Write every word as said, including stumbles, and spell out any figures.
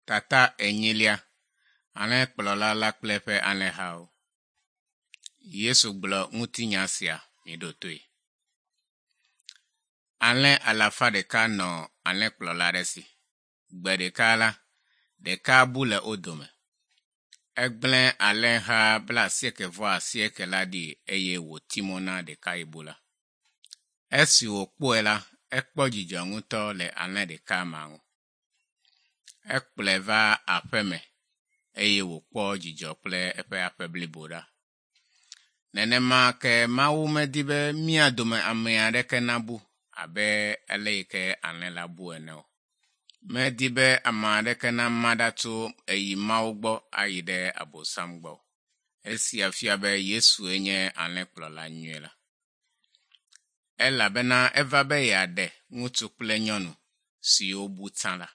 Tata enyilia ane kplola la klefe ane hao. Yesu glo mutinyasia midotoi. Ane alafa deka no ane kplola resi. Gbe deka la deka bule odome. Egblen ale ha bla sieke voa sieke la di eye wo timona deka ibula. Esi wo kpoela ekpo jijonguto le ane deka mangu. Ekpleva apeme eye wo kpo jijokple epe apebliboda. Nenema ke mawu medibe miadome amea deke nabu abe eleike ane labu eneo. Medibe ama deke na madatu eyi maugbo ayide abosamgbo. Esi afiabe Yesu enye ane kplola nyuela. Ela bena evabe yade ngutukple nyonu si obu tala.